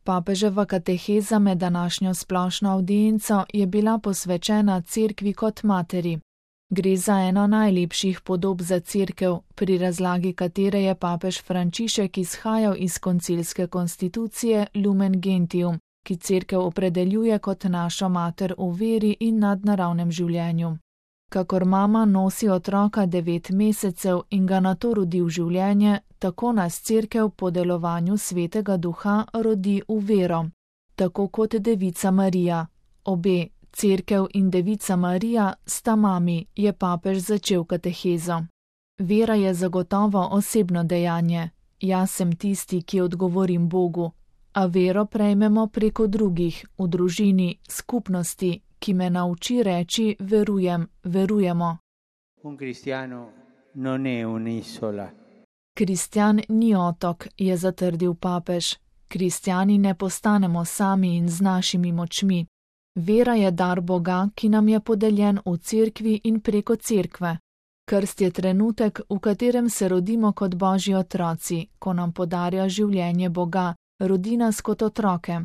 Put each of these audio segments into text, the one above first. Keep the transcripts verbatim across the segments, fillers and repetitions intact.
Papeževa kateheza med današnjo splošno avdienco je bila posvečena cerkvi kot materi. Gre za eno najlepših podob za cerkev, pri razlagi katere je papež Frančišek izhajal iz koncilske konstitucije Lumen Gentium, ki cerkev opredeljuje kot našo mater v veri in nadnaravnem življenju. Kakor mama nosi otroka devet mesecev in ga nato rodi v življenje, tako nas cerkev po delovanju Svetega Duha rodi v vero. Tako kot Devica Marija. Obe, cerkev in Devica Marija, sta mami, je papež začel katehezo. Vera je zagotovo osebno dejanje. Jaz sem tisti, ki odgovorim Bogu, a vero prejmemo preko drugih, v družini, skupnosti, ki me nauči reči verujem, verujemo. Un cristiano non è un'isola. Kristjan ni otok, je zatrdil papež. Kristjani ne postanemo sami in z našimi močmi. Vera je dar Boga, ki nam je podeljen v cerkvi in preko cerkve. Krst je trenutek, v katerem se rodimo kot Božji otroci, ko nam podarja življenje Boga, rodi nas kot otroke.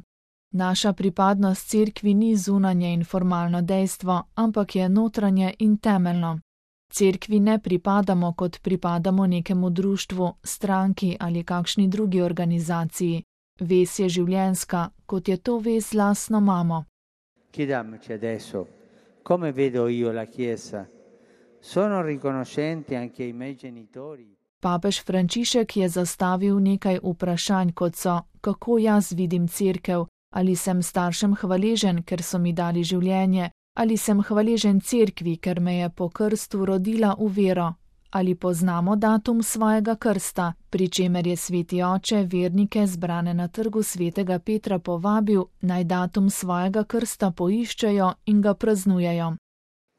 Naša pripadnost cerkvi ni zunanje in formalno dejstvo, ampak je notranje in temeljno. Cerkvi ne pripadamo, kot pripadamo nekemu društvu, stranki ali kakšni drugi organizaciji. Vez je življenjska, kot je to vez z lastno mamo. Chiediamoci adesso, come vedo io la Chiesa? Sono riconoscenti anche ai miei genitori? Papež Frančišek je zastavil nekaj vprašanj, kot so, kako jaz vidim cerkev, ali sem staršem hvaležen, ker so mi dali življenje, ali sem hvaležen cerkvi, ker me je po krstu rodila v vero, ali poznamo datum svojega krsta, pri čemer je sveti oče vernike zbrane na trgu svetega Petra povabil, naj datum svojega krsta poiščejo in ga praznujejo.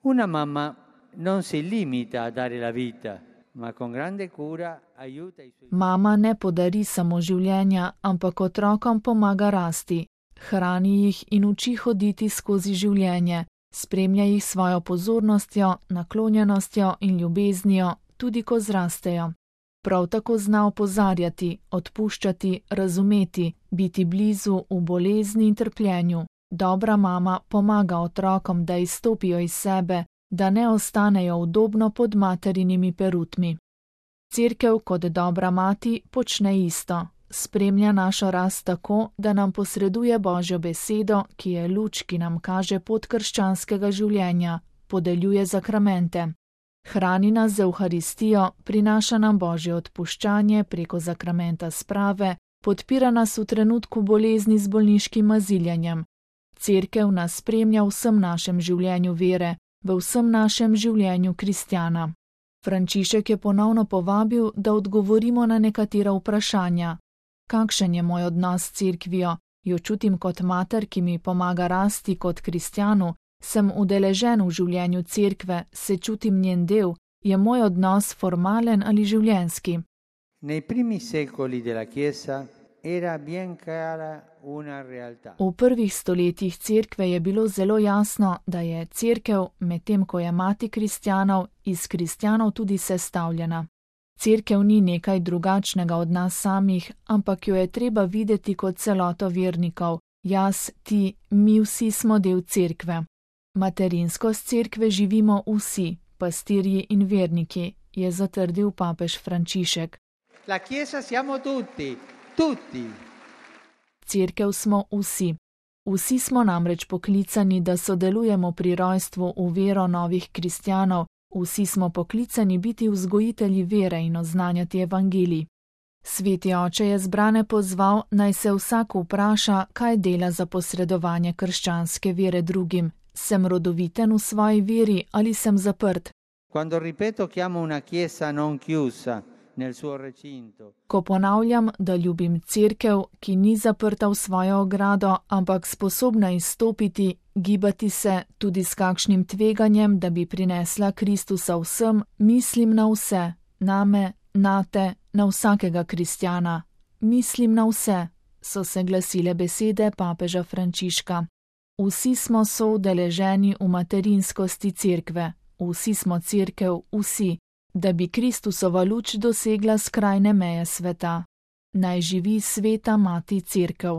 Una mamma non si limita a dare la vita, ma con grande cura aiuta i suoi. Mama ne podari samo življenja, ampak otrokom pomaga rasti, hrani jih in uči hoditi skozi življenje, spremlja jih svojo pozornostjo, naklonjenostjo in ljubeznijo, tudi ko zrastejo. Prav tako zna opozarjati, odpuščati, razumeti, biti blizu v bolezni in trpljenju. Dobra mama pomaga otrokom, da izstopijo iz sebe, da ne ostanejo udobno pod materinimi perutmi. Cerkev kot dobra mati počne isto. Spremlja našo rast tako, da nam posreduje Božjo besedo, ki je luč, ki nam kaže pot krščanskega življenja, podeljuje zakramente. Hrani nas z Evharistijo, prinaša nam Božje odpuščanje preko zakramenta sprave, podpira nas v trenutku bolezni z bolniškim maziljenjem. Cerkev nas spremlja v vsem našem življenju vere, v vsem našem življenju kristjana. Frančišek je ponovno povabil, da odgovorimo na nekatera vprašanja. Kakšen je moj odnos s cerkvijo? Jo čutim kot mater, ki mi pomaga rasti kot kristjanu? Sem udeležen v življenju cerkve, se čutim njen del? Je moj odnos formalen ali življenjski? Nei primi secoli della Chiesa era bien chiara una realtà. V prvih stoletjih cerkve je bilo zelo jasno, da je cerkev, medtem ko je mati kristjanov, iz kristjanov tudi sestavljena. Cerkev ni nekaj drugačnega od nas samih, ampak jo je treba videti kot celoto vernikov. Jaz, ti, mi vsi smo del cerkve. Materinskost cerkve živimo vsi, pastirji in verniki, je zatrdil papež Frančišek. La Chiesa siamo tutti, tutti. Cerkev smo vsi. Vsi smo namreč poklicani, da sodelujemo pri rojstvu v vero novih kristjanov, vsi smo poklicani biti vzgojitelji vere in oznanjati evangelij. Sveti oče je zbrane pozval, naj se vsak vpraša, kaj dela za posredovanje krščanske vere drugim. Sem rodoviten v svoji veri ali sem zaprt? Quando ripeto chiamo una chiesa non chiusa nel suo recinto. Ko ponavljam, da ljubim cerkev, ki ni zaprta v svojo ogrado, ampak sposobna izstopiti, gibati se tudi s kakšnim tveganjem, da bi prinesla Kristusa vsem, mislim na vse, name, nate, na vsakega kristjana. Mislim na vse, so se glasile besede papeža Frančiška. Vsi smo soudeleženi v materinskosti cerkve, vsi smo cerkev, vsi, da bi Kristusova luč dosegla skrajne meje sveta. Naj živi sveta mati cerkev.